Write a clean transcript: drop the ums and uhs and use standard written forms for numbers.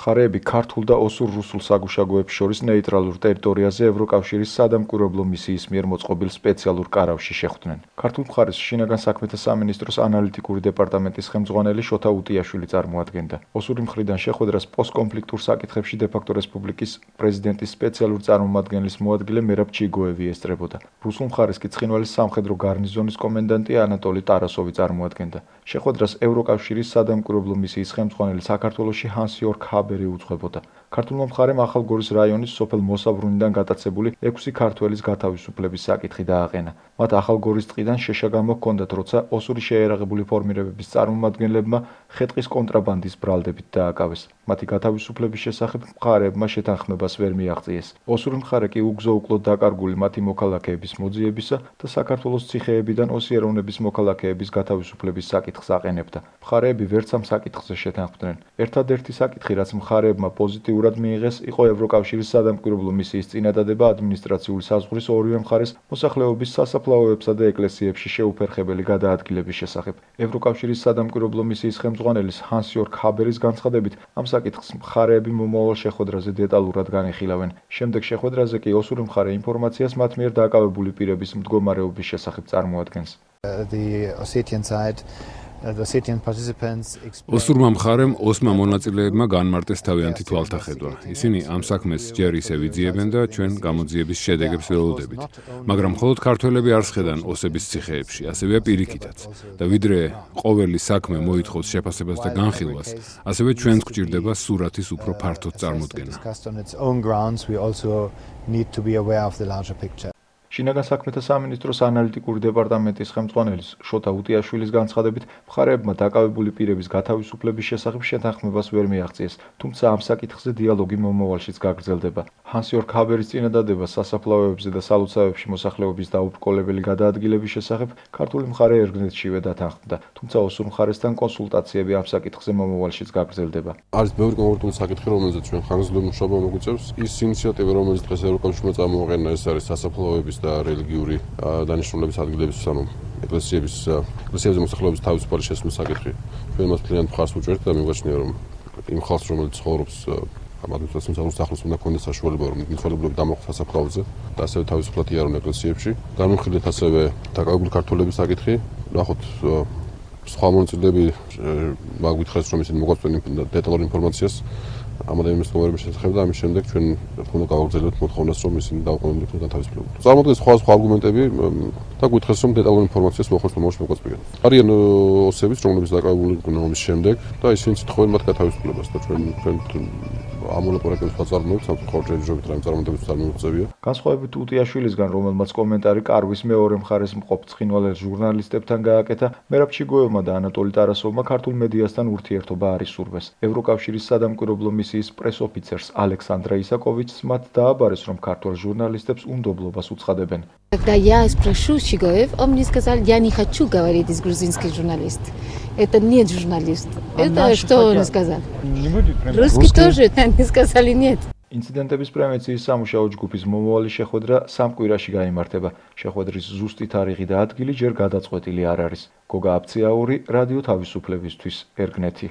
მხარეები ქართულ და ოსურ-რუსულ საგუშაგოებს შორის ნეიტრალურ ტერიტორიაზე ევროკავშირის სადამკვირვებლო მისიის მიერ მოწყობილ სპეციალურ კარავში შეხვდნენ. ქართულ მხარეს შინაგან საქმეთა სამინისტროს ანალიტიკური დეპარტამენტის ხელმძღვანელი შოთა უტიაშვილი წარმოადგენდა. ოსური მხრიდან შეხვედრას პოსტკონფლიქტურ საკითხებში დე-ფაქტო რესპუბლიკის პრეზიდენტის სპეციალურ წარმომადგენლის მოადგილე მერაბ ჩიგოევი ესწრებოდა. რუსულ მხარეს კი ცხინვალის სამხედრო გარნიზონის კომენდანტი ანატოლი ტარასოვი წარმოადგენდა. შეხვედრას ევროკავშირის სადამკვირვებლო მისიის ხელმძღვანელი საქართველოში ჰანს-იორგ ჰაბერი უძღვებოდა. ქართულმა მხარემ ახალგორის რაიონის სოფელ მოსაბრუნიდან გატაცებული 6 ქართველის გათავისუფლების საკითხი დააყენა. მათ ახალგორის ტყიდან შეშა გამოჰქონდათ, როცა ოსური შეიარაღებული ფორმირებების წარმომადგენლებმა ხე-ტყის კონტრაბანდის ბრალდებით დააკავეს. მათი გათავისუფლების შესახებ მხარეებმა შეთანხმებას ვერ მიაღწიეს. ოსური მხარე კი უგზო-უკლოდ დაკარგული მათი მოქალაქეების მოძიებისა და საქართველოს ციხეებიდან ოსიეროვნების მოქალაქეების გათავისუფლების საკითხს აყენებდა. მხარეები ვერც ამ საკითხზე შეთანხმდნენ. ერთადერთი საკითხი, რაც მხარეებმა პოზიტიურად მიიღეს, იყო ევროკავშირის სადამკვირვებლო მისიის წინადადება ადმინისტრაციული საზღვრის ორივე მხარეს მოსახლეობის სასაფლაოებსა და ეკლესიებში შეუფერხებელი გადაადგილების შესახებ. ევროკავშირის სადამკვირვებლო მისიის ხელმძღვანელის ჰანს-იორგ ჰაბერის განცხადებით, ამ საკითხს მხარეები მომავალ შეხვედრაზე დეტალურად განიხილავენ. შემდეგ შეხვედრაზე კი ოსური მხარე ინფორმაციას მათ მიერ დაკავებული პირების მდგომარეობის შესახებ წარმოადგენს. ოსურმა მხარემ ოსმა მონაწილეებმა განმარტეს თავიანთი თვალთახედვა. ისინი ამ საქმეს ჯერ ისევ იძიებენ და ჩვენ გამოძიების შედეგებს ველოდებით. მაგრამ მხოლოდ ქართველები არ სხედან ოსების ციხეებში, ასევეა პირიქითაც. და ვიდრე ყოველი საქმე მოითხოვს შეფასებას და განხილვას, ასევე ჩვენც გვჭირდება სურათის უფრო ფართოდ წარმოდგენა. შინაგან საქმეთა სამინისტროს ანალიტიკური დეპარტამენტის ხელმძღვანელის შოთა უტიაშვილის განცხადებით, მხარეებმა დაკავებული პირების გათავისუფლების შესახებ შეთანხმებას ვერ მიაღწიეს, თუმცა ამ საკითხზე დიალოგი მომავალშიც გაგრძელდება. ჰანს-იორგ ჰაბერის წინადადება სასაფლაოებზე და სალოცავებში მოსახლეობის დაუბრკოლებელი გადაადგილების შესახებ ქართული მხარე ერგნეთშივე დათანხმდა, თუმცა ოსურ მხარესთან კონსულტაციები ამ საკითხზე მომავალშიც გაგრძელდება. არის ბევრი კონკრეტული საკითხი, რომელზეც ჩვენ ხანგრძლივი მუშაობა მოგვიწევს. ის ინიციატივა, რომელიც დღეს ევროკავშირმა წამოაყენა, ეს არის სასაფლაოების და რელიგიური დანიშნულების ადგილების, ანუ ეკლესიებზე მოსახლეობის თავისუფალი შესვლის საკითხი. ჩვენ მას ძალიან მხარს ვუჭერთ და მიგვაჩნია, რომ იმ ხალხს, რომელიც ცხოვრობს ამ ადმინისტრაციული საზღვრის ახლოს, უნდა ქონდეს საშუალება, რომ მიცვალებლები დამოხტეს სასაფლაოზე და ასევე თავისუფლად იარონ ეკლესიებში. განვიხილეთ ასევე დაკავებული ქართველების საკითხი. ნახოთ, სხვა მონაწილეები მაგვითხრეს, რომ ისინი მოგვაწვენ დეტალურ ინფორმაციას ამ ადამიანის მდგომარეობის შესახებ და ამის შემდეგ ჩვენ უნდა გავაგრძელებთ მოთხოვნას, რომ ისინი დაუყოვნებლივ გათავისუფლებულიყო. წარმოადგენს სხვა არგუმენტები და გითხრეს, რომ დეტალურ ინფორმაციას მოხერხებულ მომავალში მოგვაწვიან. არიან ოსების, რომლებიც დაკავებული იყვნენ ომის შემდეგ და ისინი ცდილობენ მათ გათავისუფლებას და ჩვენ ამ მოლაპარაკებებს ვაწარმოებთ, სამწუხაროდ ჯერჯერობით რამე წარმატებებს არ მივიღწევია. განსხვავებით უტიაშვილისგან, რომელმაც კომენტარი კარვის მეორე მხარეს მყოფ ცხინვალელ ჟურნალისტებთან გააკეთა, მერაბ ჩიგოევმა და ანატოლი ტარასოვმა ქართულ მედიასთან ურთიერთობა არ ისურვეს. ევროკავშირის სადამკვირვებლო მისიის პრეს-ოფიცერს ალექსანდრა ისაკოვიჩს მათ დააბარეს, რომ ქართულ ჟურნალისტებს უნდობლობას უცხადებენ. Когда я спрошу Чигоев, он мне сказал, я не хочу говорить из грузинских журналистов. Это нет журналист. Это что он сказал? Русский тоже, они сказали нет. ინციდენტების პრევენციის სამუშაო ჯგუფის მომავალი შეხვედრა სამ კვირაში გაიმართება. შეხვედრის ზუსტი თარიღი და ადგილი ჯერ გადაწყვეტილი არ არის. გოგა აბციაური, რადიო თავისუფლებისთვის, ერგნეთი.